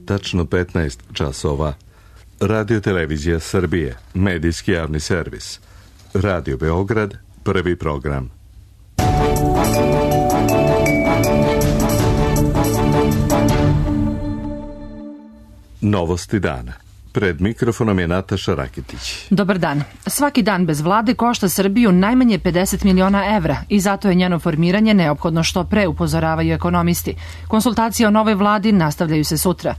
tačno 15 časova. Radio Televizija Srbije, medijski javni servis. Radio Beograd, prvi program. Novosti dana. Pred mikrofonom je Nataša Rakitić. Dobar dan. Svaki dan bez vlade košta Srbiju najmanje 50 miliona evra i zato je njeno formiranje neophodno što pre, upozoravaju ekonomisti. Konsultacije o novoj vladi nastavljaju se sutra.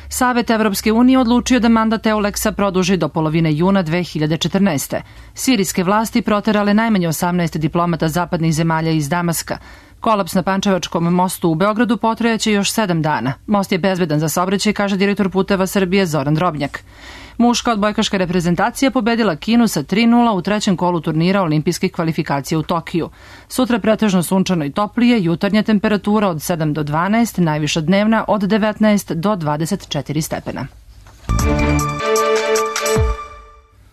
Savet Evropske unije odlučio da mandat Euleksa produži do polovine juna 2014. Sirijske vlasti proterale najmanje 18 diplomata zapadnih zemalja iz Damaska. Kolaps na Pančevačkom mostu u Beogradu potrajaće još 7 dana. Most je bezbedan za saobraćaj, kaže direktor Puteva Srbije Zoran Drobnjak. Muška odbojkaška reprezentacija pobedila Kinu sa 3:0 u trećem kolu turnira olimpijskih kvalifikacija u Tokiju. Sutra pretežno sunčano i toplije, jutarnja temperatura od 7 do 12, najviša dnevna od 19 do 24 stepena.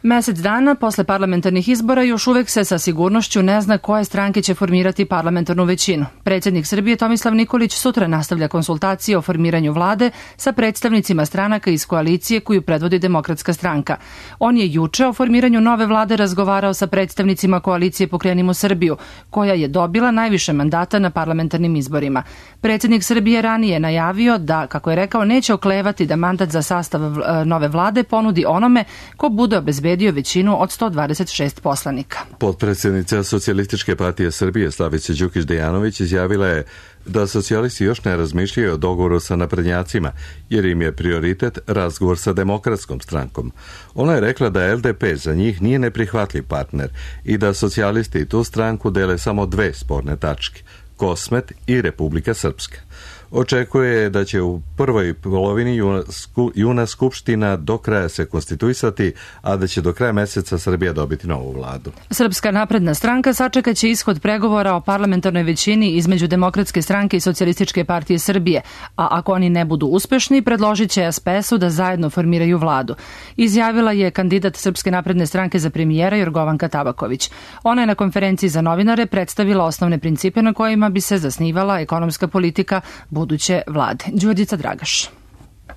Mesec dana posle parlamentarnih izbora još uvek se sa sigurnošću ne zna koje stranke će formirati parlamentarnu većinu. Predsjednik Srbije Tomislav Nikolić sutra nastavlja konsultacije o formiranju vlade sa predstavnicima stranaka iz koalicije koju predvodi Demokratska stranka. On je juče o formiranju nove vlade razgovarao sa predstavnicima koalicije Pokrenimo Srbiju, koja je dobila najviše mandata na parlamentarnim izborima. Predsjednik Srbije ranije najavio da, kako je rekao, neće oklevati da mandat za sastav nove vlade ponudi onome ko bude obezbedio većinu od 126 poslanika. Potpredsjednica Socijalističke partije Srbije Slavica Đukić-Dejanović izjavila je da socijalisti još ne razmišljaju o dogovoru sa naprednjacima, jer im je prioritet razgovor sa Demokratskom strankom. Ona je rekla da LDP za njih nije neprihvatljiv partner i da socijalisti tu stranku dele samo dve sporne tačke, Kosmet i Republika Srpska. Očekuje da će u prvoj polovini juna Skupština do kraja se konstituisati, a da će do kraja meseca Srbija dobiti novu vladu. Srpska napredna stranka sačekaće ishod pregovora o parlamentarnoj većini između Demokratske stranke i Socijalističke partije Srbije, a ako oni ne budu uspešni, predložit će SPS-u da zajedno formiraju vladu. Izjavila je kandidat Srpske napredne stranke za premijera Jorgovanka Tabaković. Ona je na konferenciji za novinare predstavila osnovne principe na kojima bi se zasnivala ekonomska politika buduće vlade. Đurđica Dragaš.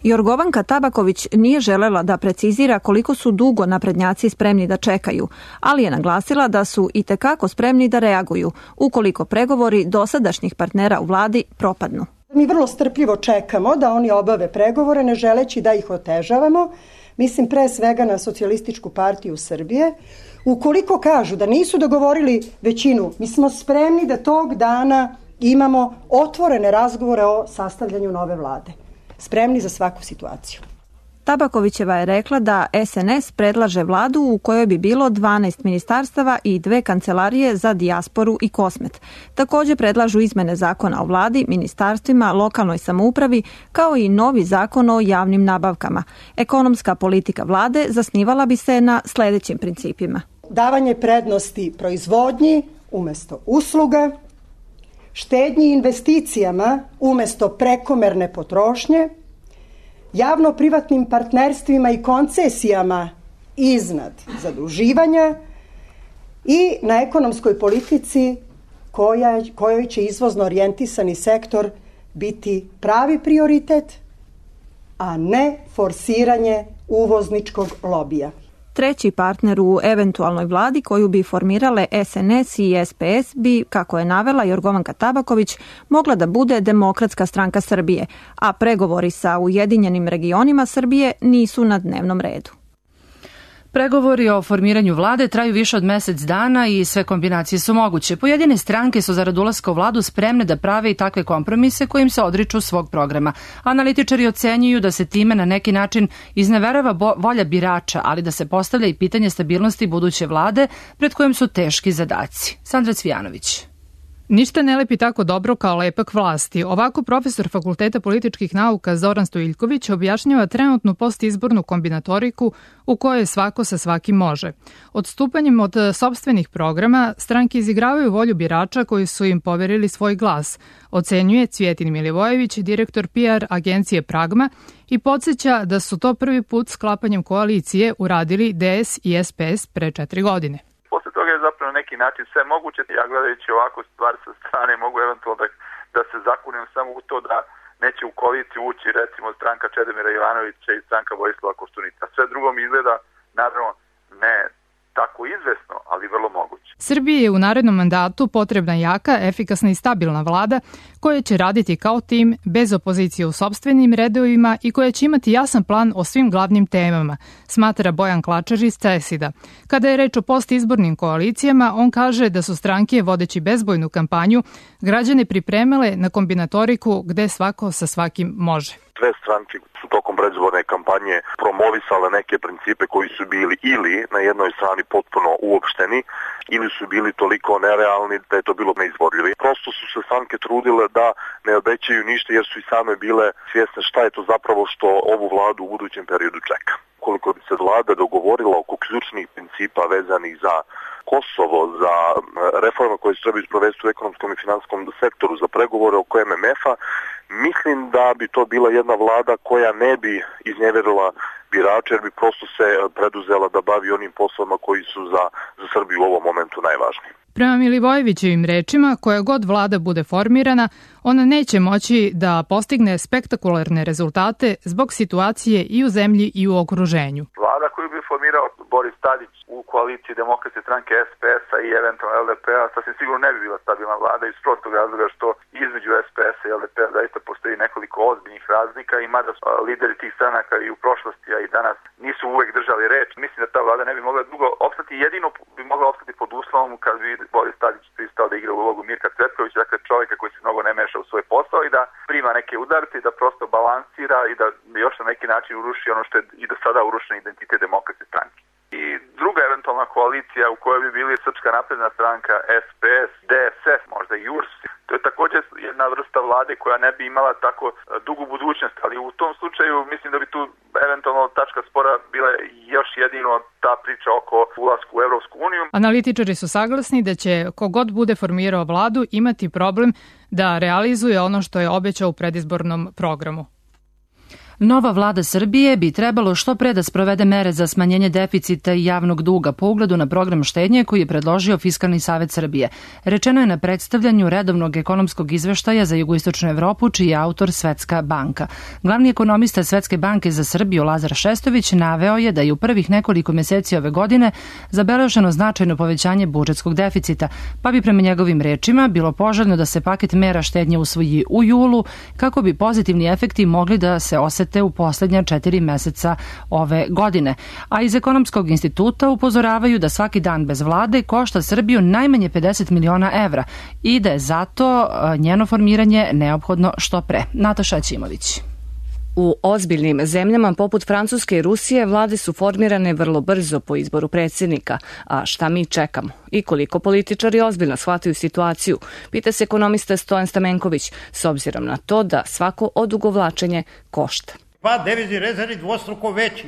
Jorgovanka Tabaković nije želela da precizira koliko su dugo naprednjaci spremni da čekaju, ali je naglasila da su itekako spremni da reaguju ukoliko pregovori dosadašnjih partnera u vladi propadnu. Mi vrlo strpljivo čekamo da oni obave pregovore, ne želeći da ih otežavamo. Mislim pre svega na Socijalističku partiju Srbije. Ukoliko kažu da nisu dogovorili većinu, mi smo spremni da tog dana imamo otvorene razgovore o sastavljanju nove vlade. Spremni za svaku situaciju. Tabakovićeva je rekla da SNS predlaže vladu u kojoj bi bilo 12 ministarstava i 2 kancelarije za dijasporu i Kosmet. Također predlažu izmene zakona o vladi, ministarstvima, lokalnoj samoupravi, kao i novi zakon o javnim nabavkama. Ekonomska politika vlade zasnivala bi se na sljedećim principima. Davanje prednosti proizvodnji umjesto usluga, štednji investicijama umjesto prekomerne potrošnje, javno-privatnim partnerstvima i koncesijama iznad zaduživanja i na ekonomskoj politici kojoj će izvozno orijentisani sektor biti pravi prioritet, a ne forsiranje uvozničkog lobija. Treći partner u eventualnoj vladi koju bi formirale SNS i SPS bi, kako je navela Jorgovanka Tabaković, mogla da bude Demokratska stranka Srbije, a pregovori sa Ujedinjenim regionima Srbije nisu na dnevnom redu. Pregovori o formiranju vlade traju više od mesec dana i sve kombinacije su moguće. Pojedine stranke su zarad ulaska u vladu spremne da prave i takve kompromise kojim se odriču svog programa. Analitičari ocenjuju da se time na neki način izneverava volja birača, ali da se postavlja i pitanje stabilnosti buduće vlade pred kojim su teški zadaci. Sandra Cvijanović. Ništa ne lepi tako dobro kao lepak vlasti. Ovako profesor Fakulteta političkih nauka Zoran Stojiljković objašnjava trenutnu postizbornu kombinatoriku u kojoj svako sa svakim može. Odstupanjem od sopstvenih programa stranke izigravaju volju birača koji su im poverili svoj glas, ocenjuje Cvjetin Milivojević, direktor PR agencije Pragma, i podsjeća da su to prvi put sklapanjem koalicije uradili DS i SPS pre 4 godine. Posle toga je zapravo na neki način sve moguće. Ja gledajući ovako stvar sa strane mogu eventualno da se zakunem samo u to neće u koaliciju ući recimo stranka Čedomira Jovanovića i stranka Vojislava Koštunica. Sve drugo mi izgleda, naravno, ne tako izvesno, ali vrlo moguće. Srbiji je u narednom mandatu potrebna jaka, efikasna i stabilna vlada koja će raditi kao tim, bez opozicije u sopstvenim redovima i koja će imati jasan plan o svim glavnim temama, smatra Bojan Klačar iz CESID-a. Kada je reč o postizbornim koalicijama, on kaže da su stranke, vodeći bezbojnu kampanju, građane pripremale na kombinatoriku gde svako sa svakim može. Sve stranke su tokom predizborne kampanje promovisale neke principe koji su bili ili na jednoj strani potpuno uopšteni ili su bili toliko nerealni da je to bilo neizvodljivo. Prosto su se stranke trudile da ne obećaju ništa jer su i same bile svjesne šta je to zapravo što ovu vladu u budućem periodu čeka. Koliko bi se vlada dogovorila oko ključnih principa vezanih za Kosovo, za reforme koje se trebaju sprovesti u ekonomskom i finansijskom sektoru, za pregovore oko MMF-a, mislim da bi to bila jedna vlada koja ne bi iznevjerila birače jer bi prosto se preduzela da bavi onim poslovima koji su za Srbiju u ovom momentu najvažniji. Prema Milivojevićevim rečima, koja god vlada bude formirana, ona neće moći da postigne spektakularne rezultate zbog situacije i u zemlji i u okruženju. Vlada koju bi formirao Boris Tadić u koaliciji Demokratske stranke, SPS-a i eventualno LDP-a sasvim sigurno ne bi bila stabilna vlada iz prostog razloga što između SPS-a i LDP-a zaista postoji nekoliko ozbiljnih razlika i mada lideri tih stranaka i u prošlosti, a i danas nisu uvek držali reč. Mislim da ta vlada ne bi mogla dugo opstati, jedino bi mogla opstati pod uslovom kad bi Boris Tadić pristao da igra ulogu Mirka Cvetkovića, dakle čovjeka koji se mnogo ne meša u svoj posao i da prima neke udarce i da prosto balansira i da još na neki način uruši ono što je i do sada urušen identitet Demokratske stranke. I druga eventualna koalicija u kojoj bi bili Srpska napredna stranka, SPS, DSS, možda i URS, to je također jedna vrsta vlade koja ne bi imala tako dugu budućnost, ali u tom slučaju mislim da bi tu eventualno tačka spora bila još jedino ta priča oko ulasku u Evropsku uniju. Analitičari su saglasni da će kogod bude formirao vladu imati problem da realizuje ono što je obećao u predizbornom programu. Nova vlada Srbije bi trebalo što pre da sprovede mere za smanjenje deficita i javnog duga po ugledu na program štednje koji je predložio Fiskalni savet Srbije. Rečeno je na predstavljanju redovnog ekonomskog izveštaja za jugoistočnu Evropu, čiji je autor Svetska banka. Glavni ekonomista Svetske banke za Srbiju Lazar Šestović naveo je da je u prvih nekoliko meseci ove godine zabeleženo značajno povećanje budžetskog deficita, pa bi prema njegovim rečima bilo poželjno da se paket mera štednje usvoji u julu kako bi pozitivni efekti mogli da se osete u poslednja 4 meseca ove godine. A iz Ekonomskog instituta upozoravaju da svaki dan bez vlade košta Srbiju najmanje 50 miliona evra i da je zato njeno formiranje neophodno što pre. Nataša Ćimović. U ozbiljnim zemljama poput Francuske i Rusije vlade su formirane vrlo brzo po izboru predsjednika. A šta mi čekamo? I koliko političari ozbiljno shvataju situaciju? Pita se ekonomista Stojan Stamenković, s obzirom na to da svako odugovlačenje košta. Devizni rezervi dvostruko veći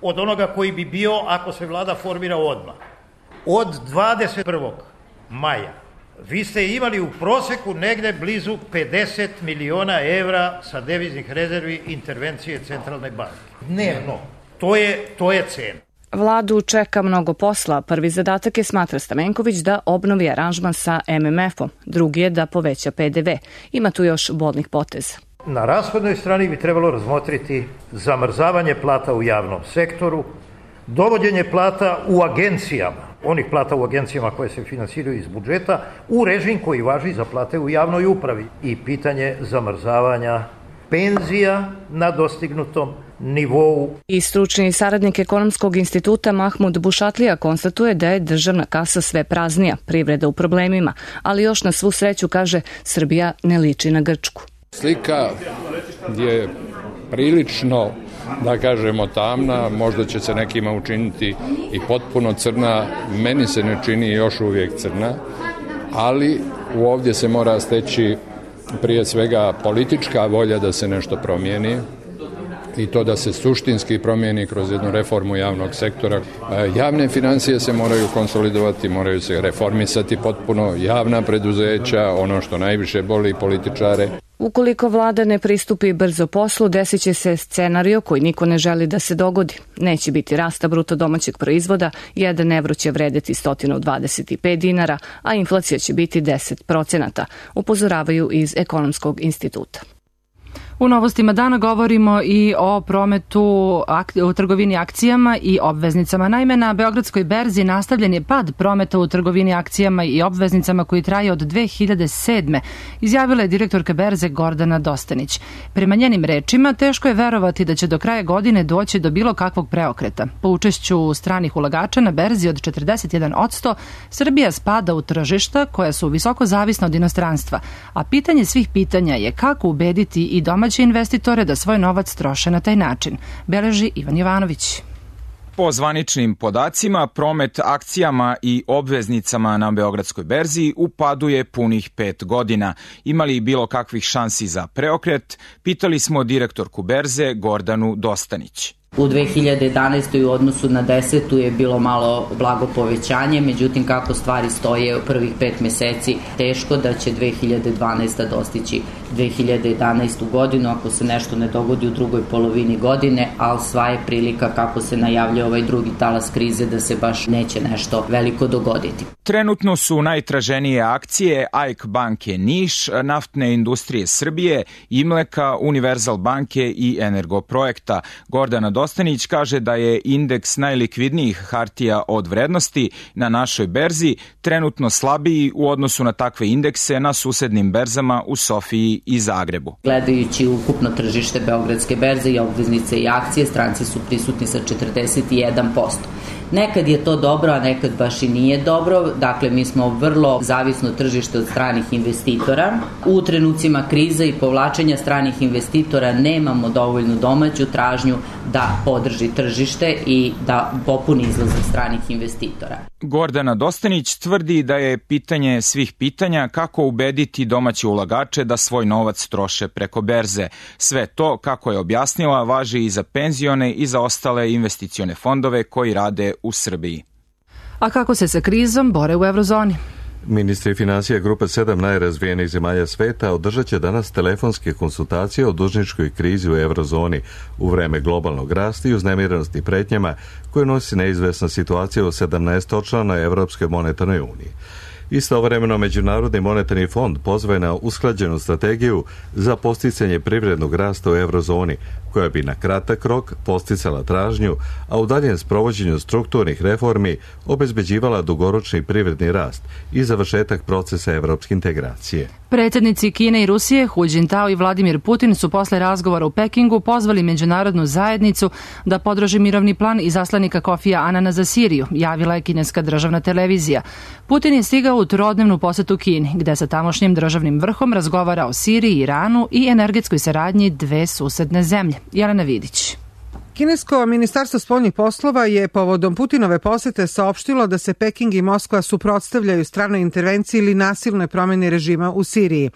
od onoga koji bi bio ako se vlada formira odmah. Od 21. maja vi ste imali u proseku negde blizu 50 miliona evra sa deviznih rezervi intervencije centralne banke. Dnevno. To je cena. Vladu čeka mnogo posla. Prvi zadatak je, smatra Stamenković, da obnovi aranžman sa MMF-om. Drugi je da poveća PDV. Ima tu još bolnih poteza. Na rashodnoj strani bi trebalo razmotriti zamrzavanje plata u javnom sektoru, dovođenje plata u agencijama, onih plata u agencijama koje se finansiraju iz budžeta, u režim koji važi za plate u javnoj upravi i pitanje zamrzavanja penzija na dostignutom nivou. I stručni saradnik Ekonomskog instituta Mahmud Bušatlija konstatuje da je državna kasa sve praznija, privreda u problemima, ali još na svu sreću, kaže, Srbija ne liči na Grčku. Slika je prilično, da kažemo, tamna, možda će se nekima učiniti i potpuno crna, meni se ne čini još uvijek crna, ali ovdje se mora steći prije svega politička volja da se nešto promijeni i to da se suštinski promijeni kroz jednu reformu javnog sektora. Javne financije se moraju konsolidovati, moraju se reformisati potpuno, javna preduzeća, ono što najviše boli političare. Ukoliko vlada ne pristupi brzo poslu, desit će se scenario koji niko ne želi da se dogodi. Neće biti rasta bruto domaćeg proizvoda, 1 evro će vredeti 125 dinara, a inflacija će biti 10%, upozoravaju iz Ekonomskog instituta. U novostima dana govorimo i o prometu u trgovini akcijama i obveznicama. Naime, na Beogradskoj berzi nastavljen je pad prometa u trgovini akcijama i obveznicama koji traje od 2007. Izjavila je direktorka berze Gordana Dostanić. Prema njenim rečima, teško je verovati da će do kraja godine doći do bilo kakvog preokreta. Po učešću stranih ulagača na berzi od 41%, Srbija spada u tržišta koja su visoko zavisna od inostranstva, a pitanje svih pitanja je kako ubediti i domaće investitore da svoj novac troše na taj način, beleži Ivan Jovanović. Po zvaničnim podacima, promet akcijama i obveznicama na Beogradskoj berzi u padu je punih 5 godina. Ima li bilo kakvih šansi za preokret? Pitali smo direktorku berze Gordanu Dostanić. U 2011. u odnosu na 10. je bilo malo blago povećanje, međutim kako stvari stoje u prvih 5 meseci, teško da će 2012. dostići 2011. godinu ako se nešto ne dogodi u drugoj polovini godine, ali sva je prilika kako se najavlja ovaj drugi talas krize da se baš neće nešto veliko dogoditi. Trenutno su najtraženije akcije AIK banke Niš, Naftne industrije Srbije, Imleka, Univerzal banke i Energoprojekta. Gordana Dostanić kaže da je indeks najlikvidnijih hartija od vrednosti na našoj berzi trenutno slabiji u odnosu na takve indekse na susednim berzama u Sofiji i Zagrebu. Gledajući ukupno tržište Beogradske berze i obveznice i akcije, stranci su prisutni sa 41%. Nekad je to dobro, a nekad baš i nije dobro. Dakle, mi smo vrlo zavisno tržište od stranih investitora. U trenucima krize i povlačenja stranih investitora nemamo dovoljnu domaću tražnju da podrži tržište i da popuni izlazak stranih investitora. Gordana Dostanić tvrdi da je pitanje svih pitanja kako ubediti domaće ulagače da svoj novac troše preko berze. Sve to, kako je objasnila, važi i za penzione i za ostale investicione fondove koji rade u Srbiji. A kako se sa krizom bore u eurozoni? Ministri finansija grupe 7 najrazvijenijih zemalja sveta održat će danas telefonske konsultacije o dužničkoj krizi u eurozoni u vreme globalnog rasta i uznemirenosti pretnjama koje nosi neizvesna situacija u 17-članoj Evropskoj monetarnoj uniji. Istovremeno, Međunarodni monetarni fond pozvao je na usklađenu strategiju za posticanje privrednog rasta u eurozoni, koja bi na kratak rok posticala tražnju, a u daljem sprovođenju strukturnih reformi obezbeđivala dugoročni privredni rast i završetak procesa evropske integracije. Predsjednici Kine i Rusije, Hu Jintao i Vladimir Putin su posle razgovora u Pekingu pozvali međunarodnu zajednicu da podrži mirovni plan izaslanika Kofija Anana za Siriju, javila je kineska državna televizija. Putin je stigao u trodnevnu posetu Kini, gde sa tamošnjim državnim vrhom razgovara o Siriji, Iranu i energetskoj saradnji dve susedne zemlje. Jelena Vidić. Kinesko ministarstvo spoljnih poslova je povodom Putinove posete saopštilo da se Peking i Moskva suprotstavljaju stranoj intervenciji ili nasilnoj promjeni režima u Siriji.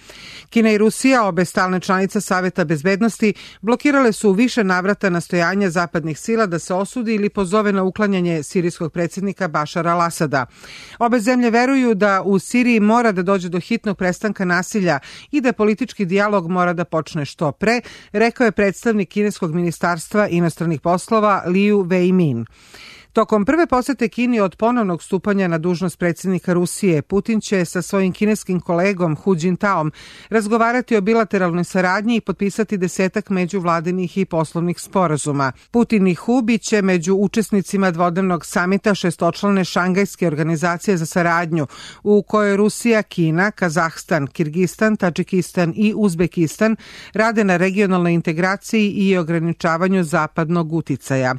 Kina i Rusija, obe stalne članice Saveta bezbednosti, blokirale su u više navrata nastojanja zapadnih sila da se osudi ili pozove na uklanjanje sirijskog predsjednika Bašara al-Asada. Obe zemlje veruju da u Siriji mora da dođe do hitnog prestanka nasilja i da politički dijalog mora da počne što pre, rekao je predstavnik kineskog ministarstva inostranih poslova Liu Weimin. Tokom prve posete Kini od ponovnog stupanja na dužnost predsjednika Rusije, Putin će sa svojim kineskim kolegom Hu Jintaom razgovarati o bilateralnoj saradnji i potpisati 10 međuvladinih i poslovnih sporazuma. Putin i Hu biće među učesnicima dvodnevnog samita šestočlane Šangajske organizacije za saradnju, u kojoj Rusija, Kina, Kazahstan, Kirgistan, Tadžikistan i Uzbekistan rade na regionalnoj integraciji i ograničavanju zapadnog uticaja.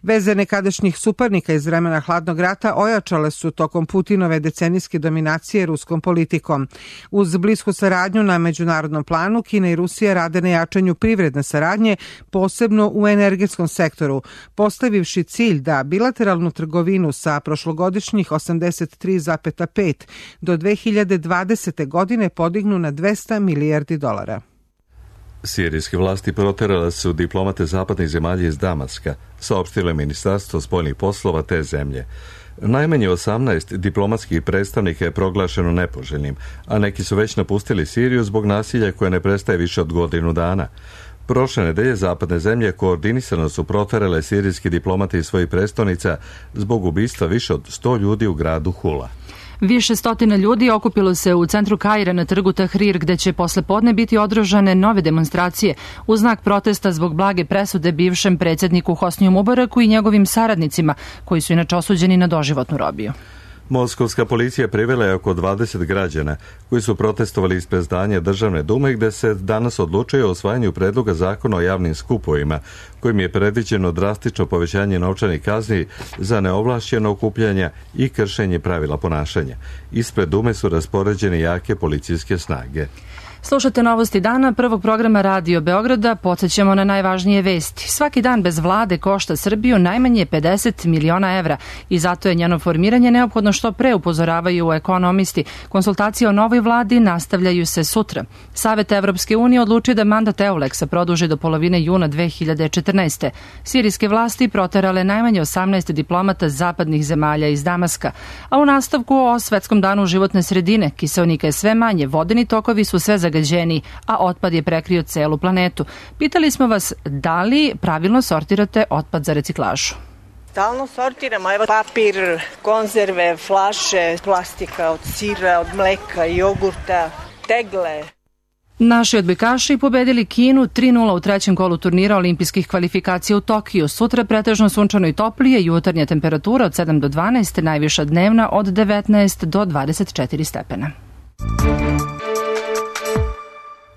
Veze nekadašnjih suparnika iz vremena hladnog rata ojačale su tokom Putinove decenijske dominacije ruskom politikom. Uz blisku saradnju na međunarodnom planu, Kina i Rusija rade na jačanju privredne saradnje, posebno u energetskom sektoru, postavivši cilj da bilateralnu trgovinu sa prošlogodišnjih 83,5 do 2020. godine podignu na $200 milijardi. Sirijske vlasti proterale su diplomate zapadnih zemalja iz Damaska, saopštilo je Ministarstvo spoljnih poslova te zemlje. Najmanje 18 diplomatskih predstavnika je proglašeno nepoželjnim, a neki su već napustili Siriju zbog nasilja koje ne prestaje više od godinu dana. Prošle nedelje zapadne zemlje koordinisano su proterale sirijski diplomate iz svojih prestonica zbog ubistva više od 100 ljudi u gradu Hula. Više stotina ljudi okupilo se u centru Kaira na trgu Tahrir, gde će posle podne biti održane nove demonstracije u znak protesta zbog blage presude bivšem predsjedniku Hosniju Mubaraku i njegovim saradnicima, koji su inače osuđeni na doživotnu robiju. Moskovska policija privela je oko 20 građana koji su protestovali ispred zdanja Državne dume, gde se danas odlučuje o osvajanju predloga zakona o javnim skupovima, kojim je predviđeno drastično povećanje novčanih kazni za neovlašćeno okupljanja i kršenje pravila ponašanja. Ispred dume su raspoređene jake policijske snage. Slušate novosti dana prvog programa Radio Beograda, podsjećamo na najvažnije vesti. Svaki dan bez vlade košta Srbiju najmanje 50 miliona evra i zato je njeno formiranje neophodno što pre, upozoravaju ekonomisti. Konsultacije o novoj vladi nastavljaju se sutra. Savet Evropske unije odlučio da mandat EULEX-a produži do polovine juna 2014. Sirijske vlasti proterale najmanje 18 diplomata zapadnih zemalja iz Damaska. A u nastavku o Svetskom danu životne sredine, kiseonika je sve manje, vodeni tokovi su sve zagađeniji, a otpad je prekrio celu planetu. Pitali smo vas da li pravilno sortirate otpad za reciklažu. Stalno sortiramo, evo papir, konzerve, flaše, plastika od sira, od mleka, jogurta, tegle. Naši odbojkaši pobedili Kinu 3:0 u trećem kolu turnira olimpijskih kvalifikacija u Tokiju. Sutra pretežno sunčano i toplije, jutarnja temperatura od 7 do 12, najviša dnevna od 19 do 24 stepena.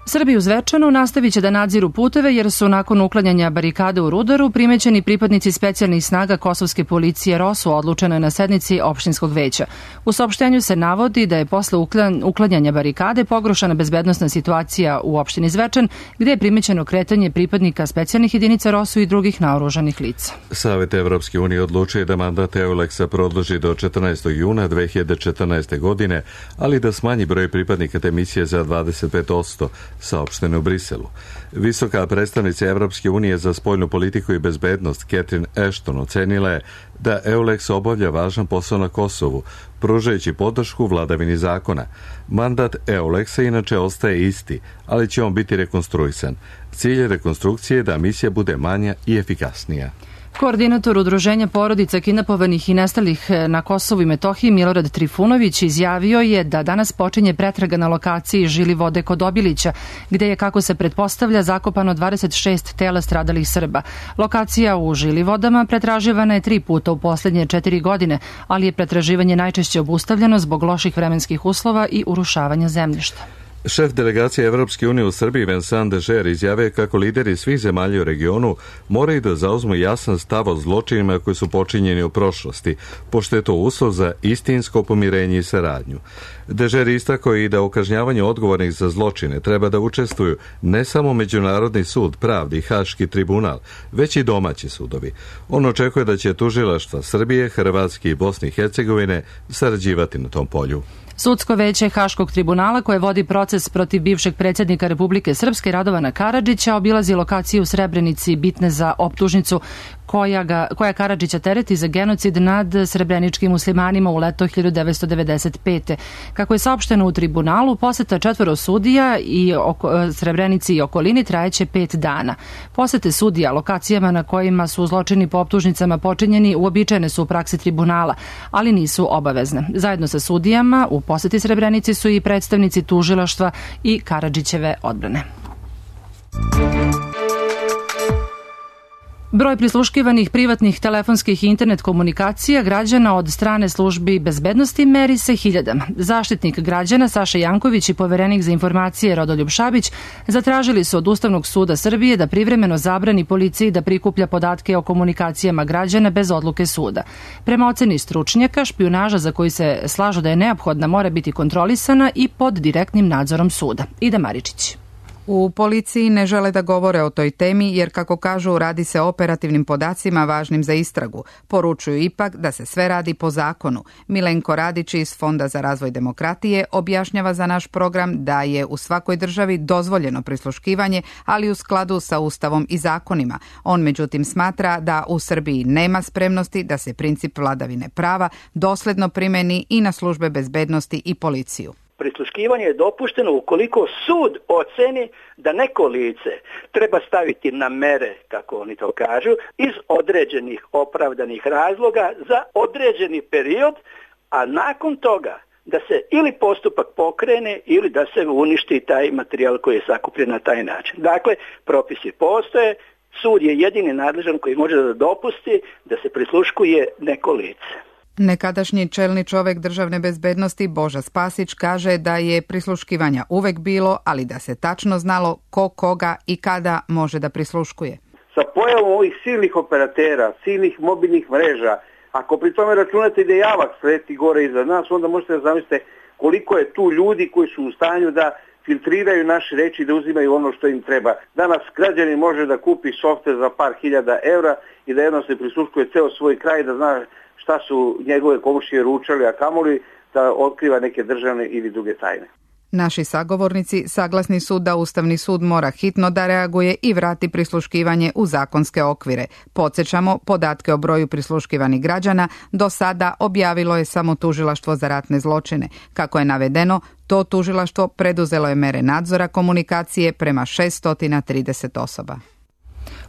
Srbi u Zvečanu nastavit će da nadziru puteve jer su nakon uklanjanja barikade u Rudaru primećeni pripadnici specijalnih snaga kosovske policije ROSU, odlučeno je na sednici opštinskog veća. U saopštenju se navodi da je posle uklanjanja barikade pogoršana bezbednosna situacija u opštini Zvečan, gde je primećeno kretanje pripadnika specijalnih jedinica ROSU i drugih naoružanih lica. Savet Evropske unije odlučuje da mandat EULEX-a produži do 14. juna 2014. godine, ali da smanji broj pripadnika te misije za 25%, saopšteno u Briselu. Visoka predstavnica Evropske unije za spoljnu politiku i bezbednost Catherine Ashton ocenila je da EULEX obavlja važan posao na Kosovu, pružajući podršku vladavini zakona. Mandat EULEX-a inače ostaje isti, ali će on biti rekonstruisan. Cilj rekonstrukcije je da misija bude manja i efikasnija. Koordinator Udruženja porodica kidnapovanih i nestalih na Kosovu i Metohiji Milorad Trifunović izjavio je da danas počinje pretraga na lokaciji Žili vode kod Obilića, gde je, kako se pretpostavlja, zakopano 26 tela stradalih Srba. Lokacija u Žili vodama pretraživana je 3 puta u poslednje 4 godine, ali je pretraživanje najčešće obustavljeno zbog loših vremenskih uslova i urušavanja zemljišta. Šef delegacije Evropske unije u Srbiji Vincent Dežer izjavio kako lideri svih zemalja u regionu moraju da zauzmu jasan stav o zločinima koji su počinjeni u prošlosti, pošto je to uslov za istinsko pomirenje i saradnju. Dežer istakao i da u kažnjavanju odgovornih za zločine treba da učestvuju ne samo Međunarodni sud pravde i Haški tribunal, već i domaći sudovi. On očekuje da će tužilaštva Srbije, Hrvatske i Bosne i Hercegovine sarađivati na tom polju. Sudsko veće Haškog tribunala, koje vodi proces protiv bivšeg predsjednika Republike Srpske Radovana Karadžića, obilazi lokaciju u Srebrenici bitne za optužnicu koja Karadžića tereti za genocid nad srebreničkim muslimanima u leto 1995. Kako je saopšteno u tribunalu, poseta 4 sudija i Srebrenici i okolini trajeće 5 dana. Posete sudija lokacijama na kojima su zločini po optužnicama počinjeni uobičajene su u praksi tribunala, ali nisu obavezne. Zajedno sa sudijama u poseti Srebrenici su i predstavnici tužilaštva i Karadžićeve odbrane. Broj prisluškivanih privatnih telefonskih i internet komunikacija građana od strane službi bezbednosti meri se hiljadama. Zaštitnik građana Saša Janković i poverenik za informacije Rodoljub Šabić zatražili su od Ustavnog suda Srbije da privremeno zabrani policiji da prikuplja podatke o komunikacijama građana bez odluke suda. Prema oceni stručnjaka, špijunaža za koju se slažu da je neophodna mora biti kontrolisana i pod direktnim nadzorom suda. Ida Maričić. U policiji ne žele da govore o toj temi jer, kako kažu, radi se o operativnim podacima važnim za istragu. Poručuju ipak da se sve radi po zakonu. Milenko Radić iz Fonda za razvoj demokratije objašnjava za naš program da je u svakoj državi dozvoljeno prisluškivanje, ali u skladu sa Ustavom i zakonima. On međutim smatra da u Srbiji nema spremnosti da se princip vladavine prava dosledno primeni i na službe bezbednosti i policiju. Prisluškivanje je dopušteno ukoliko sud oceni da neko lice treba staviti na mere, kako oni to kažu, iz određenih opravdanih razloga za određeni period, a nakon toga da se ili postupak pokrene ili da se uništi taj materijal koji je sakupljen na taj način. Dakle, propisi postoje, sud je jedini nadležan koji može da dopusti da se prisluškuje neko lice. Nekadašnji čelni čovek državne bezbednosti Boža Spasić kaže da je prisluškivanja uvek bilo, ali da se tačno znalo ko koga i kada može da prisluškuje. Sa pojavom ovih silnih operatera, silnih mobilnih mreža, ako pri tome računate da javak sleti gore iznad nas, onda možete da zamislite koliko je tu ljudi koji su u stanju da filtriraju naše reči i da uzimaju ono što im treba. Danas građanin može da kupi softver za par hiljada evra i da jedno se prisluškuje ceo svoj kraj, da zna šta su njegove komšije ručali, a kamoli da otkriva neke državne ili druge tajne. Naši sagovornici saglasni su da Ustavni sud mora hitno da reaguje i vrati prisluškivanje u zakonske okvire. Podsjećamo, podatke o broju prisluškivanih građana do sada objavilo je samo Tužilaštvo za ratne zločine. Kako je navedeno, to tužilaštvo preduzelo je mere nadzora komunikacije prema 630 osoba.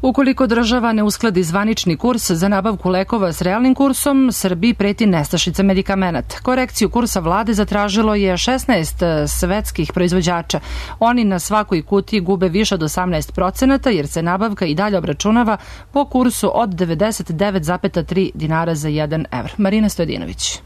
Ukoliko država ne uskladi zvanični kurs za nabavku lekova s realnim kursom, Srbiji preti nestašica medikamenata. Korekciju kursa vlade zatražilo je 16 svetskih proizvođača. Oni na svakoj kutiji gube više od 18% jer se nabavka i dalje obračunava po kursu od 99,3 dinara za 1 evro. Marina Stojadinović.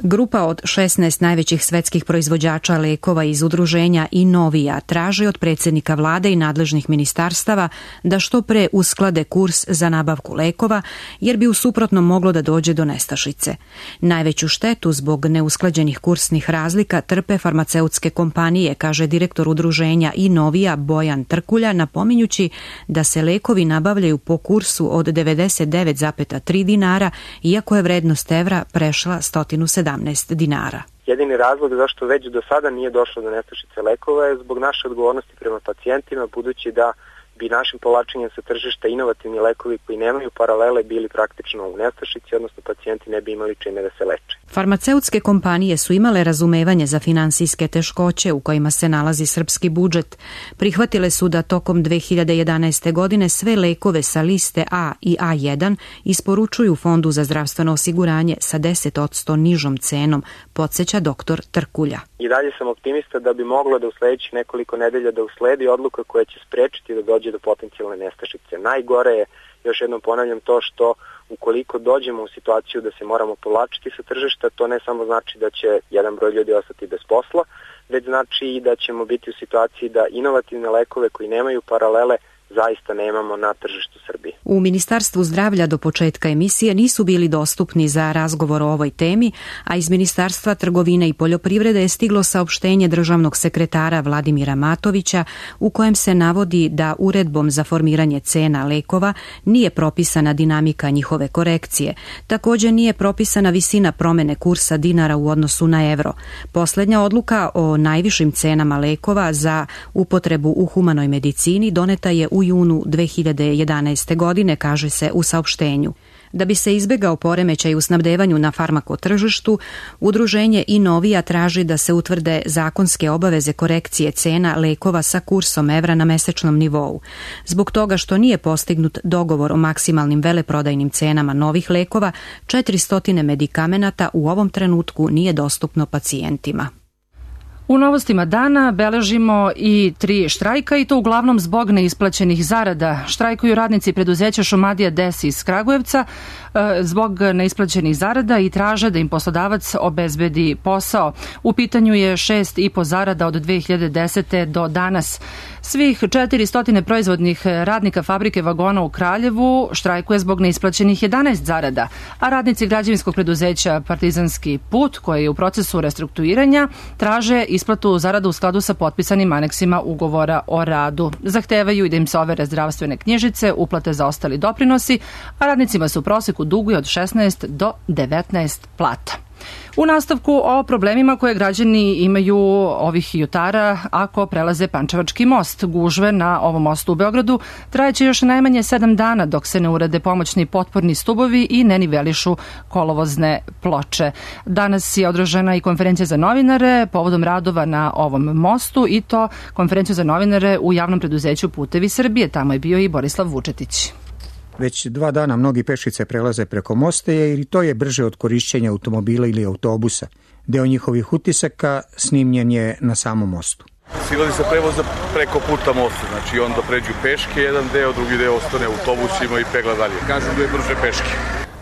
Grupa od 16 najvećih svetskih proizvođača lekova iz udruženja Inovija traži od predsjednika vlade i nadležnih ministarstava da što pre usklade kurs za nabavku lekova, jer bi u suprotnom moglo da dođe do nestašice. Najveću štetu zbog neusklađenih kursnih razlika trpe farmaceutske kompanije, kaže direktor udruženja Inovija Bojan Trkulja, napominjući da se lekovi nabavljaju po kursu od 99,3 dinara, iako je vrednost evra prešla 117 dinara. Jedini razlog zašto već do sada nije došlo do nestašice lekova je zbog naše odgovornosti prema pacijentima, budući da bi našim povlačenjem sa tržišta inovativni lekovi koji nemaju paralele bili praktično u nestašici, odnosno pacijenti ne bi imali čime da se leče. Farmaceutske kompanije su imale razumevanje za finansijske teškoće u kojima se nalazi srpski budžet. Prihvatile su da tokom 2011. godine sve lekove sa liste A i A1 isporučuju Fondu za zdravstveno osiguranje sa 10% nižom cenom, podsjeća doktor Trkulja. I dalje sam optimista da bi moglo da u sledećih nekoliko nedelja da usledi odluka koja će sprečiti da dođe do potencijalne nestašice. Najgore je, još jednom ponavljam, to što ukoliko dođemo u situaciju da se moramo povlačiti sa tržišta, to ne samo znači da će jedan broj ljudi ostati bez posla, već znači i da ćemo biti u situaciji da inovativne lekove koji nemaju paralele zaista nemamo na tržištu Srbije. U Ministarstvu zdravlja do početka emisije nisu bili dostupni za razgovor o ovoj temi, a iz Ministarstva trgovine i poljoprivrede je stiglo saopštenje državnog sekretara Vladimira Matovića u kojem se navodi da uredbom za formiranje cena lekova nije propisana dinamika njihove korekcije. Također nije propisana visina promene kursa dinara u odnosu na evro. Poslednja odluka o najvišim cenama lekova za upotrebu u humanoj medicini doneta je u junu 2011. godine, kaže se u saopštenju. Da bi se izbegao poremećaj u snabdevanju na farmakotržištu, udruženje Inovija traži da se utvrde zakonske obaveze korekcije cena lekova sa kursom evra na mesečnom nivou. Zbog toga što nije postignut dogovor o maksimalnim veleprodajnim cenama novih lekova, 400 medikamenata u ovom trenutku nije dostupno pacijentima. U novostima dana beležimo i 3 štrajka i to uglavnom zbog neisplaćenih zarada. Štrajkuju radnici preduzeća Šumadija Des iz Kragujevca zbog neisplaćenih zarada i traže da im poslodavac obezbedi posao. U pitanju je 6,5 zarada od 2010. do danas. Svih 400 proizvodnih radnika fabrike vagona u Kraljevu štrajkuje zbog neisplaćenih 11 zarada, a radnici građevinskog preduzeća Partizanski put, koji je u procesu restrukturiranja, traže isplatu zarada u skladu sa potpisanim aneksima ugovora o radu. Zahtevaju i da im se overe zdravstvene knjižice, uplate za ostali doprinosi, a radnicima se u proseku duguje od 16 do 19 plata. U nastavku o problemima koje građani imaju ovih jutara ako prelaze Pančevački most. Gužve na ovom mostu u Beogradu trajeće još najmanje 7 dana dok se ne urade pomoćni potporni stubovi i ne nivelišu kolovozne ploče. Danas je održana i konferencija za novinare povodom radova na ovom mostu i to konferenciju za novinare u javnom preduzeću Putevi Srbije. Tamo je bio i Borislav Vučetić. Već 2 dana mnogi pešice prelaze preko mosta i to je brže od korišćenja automobila ili autobusa. Deo njihovih utisaka snimljen je na samom mostu. Silazi se prevoza preko puta mosta, znači onda pređu peške jedan deo, drugi deo ostane autobusima i pegla dalje. Kažu da je brže peške.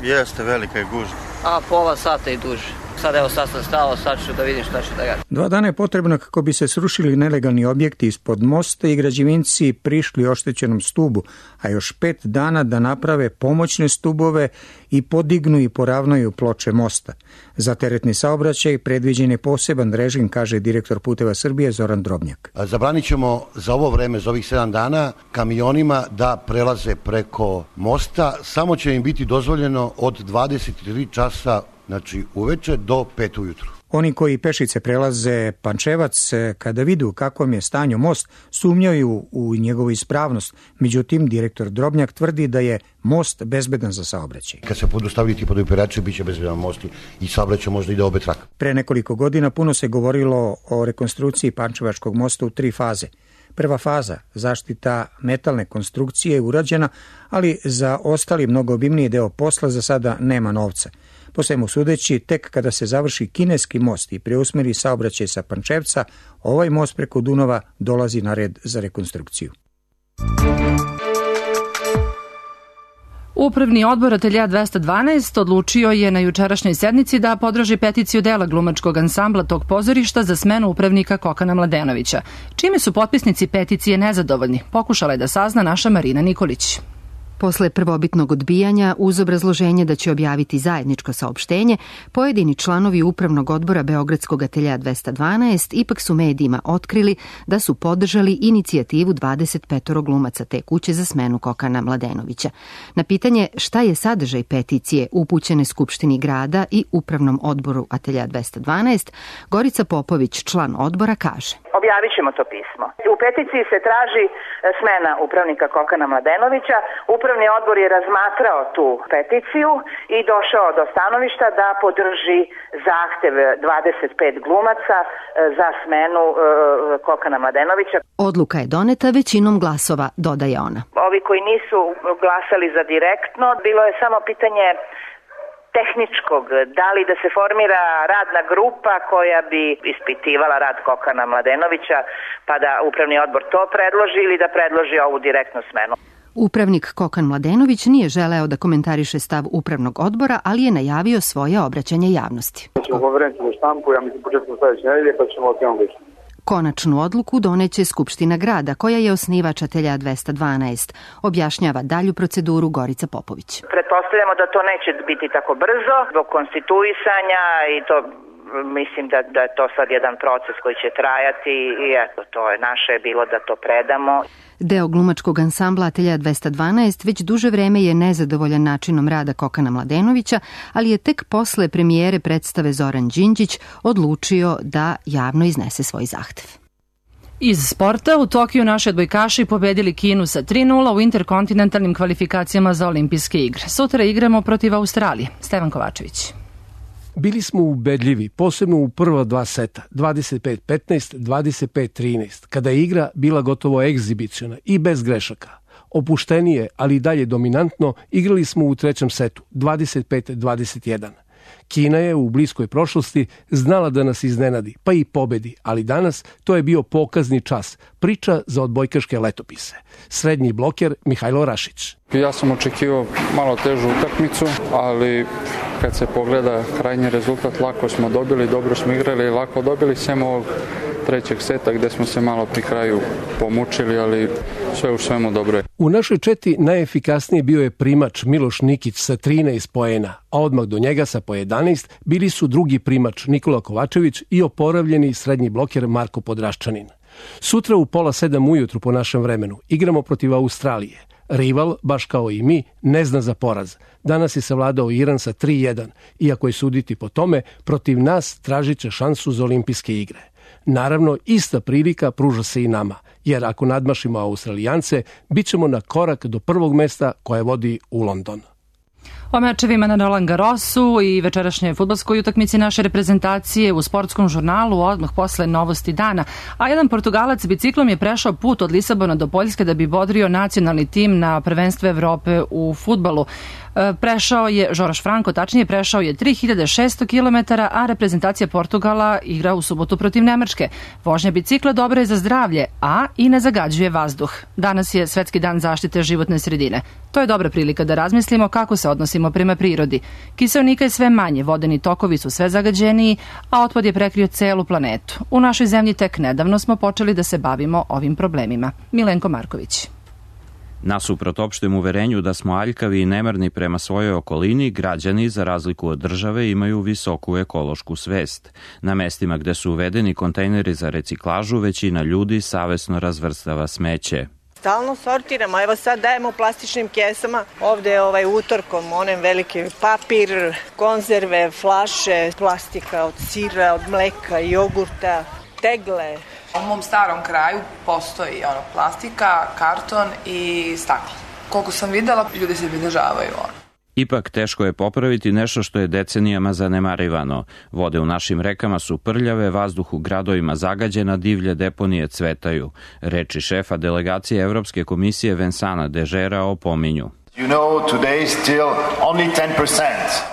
Jeste, velika je gužva. A pola sata i duže. Sad evo sad sam stao, sad ću da vidim šta ću da radim. 2 dana je potrebno kako bi se srušili nelegalni objekti ispod mosta i građevinci prišli oštećenom stubu, a još 5 dana da naprave pomoćne stubove i podignu i poravnaju ploče mosta. Za teretni saobraćaj predviđen je poseban režim, kaže direktor Puteva Srbije Zoran Drobnjak. Zabranit ćemo za ovo vreme, za ovih 7 dana, kamionima da prelaze preko mosta. Samo će im biti dozvoljeno od 23 časa, znači uveče, do 5 ujutru. Oni koji pešice prelaze Pančevac, kada vidu kakvom je stanju most, sumnjaju u njegovu ispravnost. Međutim, direktor Drobnjak tvrdi da je most bezbedan za saobraćaj. Kad se budu stavili ti podupirači, bit će bezbedan most i saobraćaj možda ide obe trake. Pre nekoliko godina puno se govorilo o rekonstrukciji Pančevačkog mosta u 3 faze. Prva faza, zaštita metalne konstrukcije, je urađena, ali za ostali mnogo obimniji deo posla za sada nema novca. Po svemu sudeći, tek kada se završi kineski most i preusmeri saobraćaj sa Pančevca, ovaj most preko Dunava dolazi na red za rekonstrukciju. Upravni odbor Ateljea 212 odlučio je na jučerašnjoj sednici da podrži peticiju dela glumačkog ansambla tog pozorišta za smenu upravnika Kokana Mladenovića. Čime su potpisnici peticije nezadovoljni? Pokušala je da sazna naša Marina Nikolić. Posle prvobitnog odbijanja, uz obrazloženje da će objaviti zajedničko saopštenje, pojedini članovi upravnog odbora Beogradskog Ateljea 212 ipak su medijima otkrili da su podržali inicijativu 25 glumaca te kuće za smenu Kokana Mladenovića. Na pitanje šta je sadržaj peticije upućene Skupštini grada i upravnom odboru Ateljea 212, Gorica Popović, član odbora, kaže: Objavit ćemo to pismo. U peticiji se traži smena upravnika Kokana Mladenovića. Upravni odbor je razmatrao tu peticiju i došao do stanovišta da podrži zahtev 25 glumaca za smenu Kokana Mladenovića. Odluka je doneta većinom glasova, dodaje ona. Ovi koji nisu glasali za direktno, bilo je samo pitanje tehničkog, da li da se formira radna grupa koja bi ispitivala rad Kokana Mladenovića, pa da upravni odbor to predloži ili da predloži ovu direktnu smenu. Upravnik Kokan Mladenović nije želeo da komentariše stav upravnog odbora, ali je najavio svoje obraćanje javnosti. Ćemo konferenciju za štampu, ja mislim početkom sledeće nedelje, pa ćemo o temu biti. Konačnu odluku doneće Skupština grada, koja je osnivač Ateljea 212, objašnjava dalju proceduru Gorica Popović. Pretpostavljamo da to neće biti tako brzo, zbog konstituisanja i to mislim da je to sad jedan proces koji će trajati i eto, to je naše bilo da to predamo. Deo glumačkog ansambla Ateljea 212 već duže vreme je nezadovoljan načinom rada Kokana Mladenovića, ali je tek posle premijere predstave Zoran Đinđić odlučio da javno iznese svoj zahtev. Iz sporta, u Tokiju naši odbojkaši pobedili Kinu sa 3:0 u interkontinentalnim kvalifikacijama za olimpijske igre. Sutra igramo protiv Australije. Stevan Kovačević. Bili smo ubedljivi, posebno u prva 2 seta, 25-15, 25-13, kada je igra bila gotovo egzibiciona i bez grešaka. Opuštenije, ali i dalje dominantno, igrali smo u 3. setu, 25-21. Kina je u bliskoj prošlosti znala da nas iznenadi, pa i pobedi, ali danas to je bio pokazni čas, priča za odbojkaške letopise. Srednji bloker Mihajlo Rašić. Ja sam očekivao malo težu utakmicu, ali kad se pogleda krajnji rezultat, lako smo dobili, dobro smo igrali, lako dobili, sem ovog 3. seta gde smo se malo pri kraju pomučili, ali sve u svemu dobro je. U našoj četi najefikasnije bio je primač Miloš Nikić sa 13 poena, a odmah do njega sa po 11 bili su drugi primač Nikola Kovačević i oporavljeni srednji bloker Marko Podraščanin. Sutra u 6:30 ujutru po našem vremenu igramo protiv Australije. Rival, baš kao i mi, ne zna za poraz. Danas je savladao Iran sa 3:1, iako je suditi po tome, protiv nas tražit će šansu za olimpijske igre. Naravno, ista prilika pruža se i nama, jer ako nadmašimo Australijance, bit ćemo na korak do prvog mesta koje vodi u London. O mečevima na Roland Garrosu i večerašnjoj fudbalskoj utakmici naše reprezentacije u sportskom žurnalu odmah posle novosti dana. A jedan Portugalac biciklom je prešao put od Lisabona do Poljske da bi bodrio nacionalni tim na prvenstvu Evrope u fudbalu. Prešao je, Žoroš Franko tačnije, prešao je 3600 km, a reprezentacija Portugala igra u subotu protiv Nemačke. Vožnja bicikla dobra je za zdravlje, a i ne zagađuje vazduh. Danas je Svetski dan zaštite životne sredine. To je dobra prilika da razmislimo kako se odnosimo prema prirodi. Kiseonika je sve manje, vodeni tokovi su sve zagađeniji, a otpad je prekrio celu planetu. U našoj zemlji tek nedavno smo počeli da se bavimo ovim problemima. Milenko Marković. Nasuprot opštem uverenju da smo aljkavi i nemarni prema svojoj okolini, građani, za razliku od države, imaju visoku ekološku svest. Na mestima gde su uvedeni kontejneri za reciklažu, većina ljudi savesno razvrstava smeće. Stalno sortiramo, evo sad dajemo u plastičnim kesama, ovde je utorkom, onem veliki papir, konzerve, flaše, plastika od sira, od mleka, jogurta, tegle. U mom starom kraju postoji plastika, karton i staklo. Koliko sam videla, ljudi se pridržavaju. Ipak teško je popraviti nešto što je decenijama zanemarivano. Vode u našim rekama su prljave, vazduh u gradovima zagađena, divlje deponije cvetaju. Reči šefa delegacije Evropske komisije Vincenta Dežera opominju.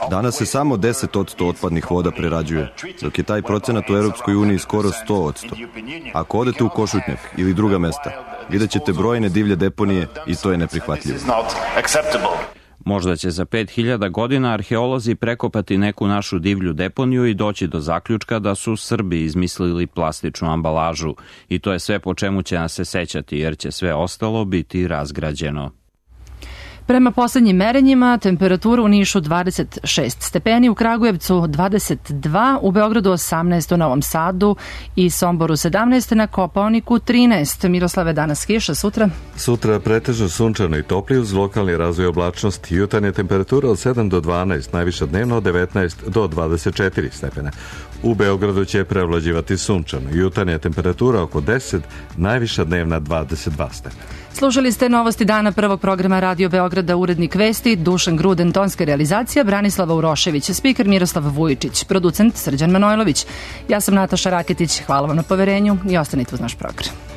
Danas se samo 10% otpadnih voda prerađuje, dok je taj procenat u Europskoj uniji skoro 100%. Ako odete u Košutnjak ili druga mesta, vidjet ćete brojne divlje deponije i to je neprihvatljivo. Možda će za 5000 godina arheolozi prekopati neku našu divlju deponiju i doći do zaključka da su Srbi izmislili plastičnu ambalažu. I to je sve po čemu će nas se sećati, jer će sve ostalo biti razgrađeno. Prema poslednjim merenjima, temperatura u Nišu 26 stepeni, u Kragujevcu 22, u Beogradu 18, u Novom Sadu i Somboru 17, na Kopaoniku 13. Miroslave, danas kiša, sutra? Sutra pretežno sunčano i topli uz lokalni razvoj oblačnosti. Jutarnja temperatura od 7 do 12, najviša dnevno od 19 do 24 stepena. U Beogradu će prevlađivati sunčano. Jutarnja temperatura oko 10, najviša dnevna 22 stepena. Slušali ste novosti dana prvog programa Radio Beograda, urednik vesti Dušan Gruden, tonska realizacija Branislava Urošević, spiker Miroslav Vujičić, producent Srđan Manojlović. Ja sam Nataša Raketić, hvala vam na poverenju i ostanite uz naš program.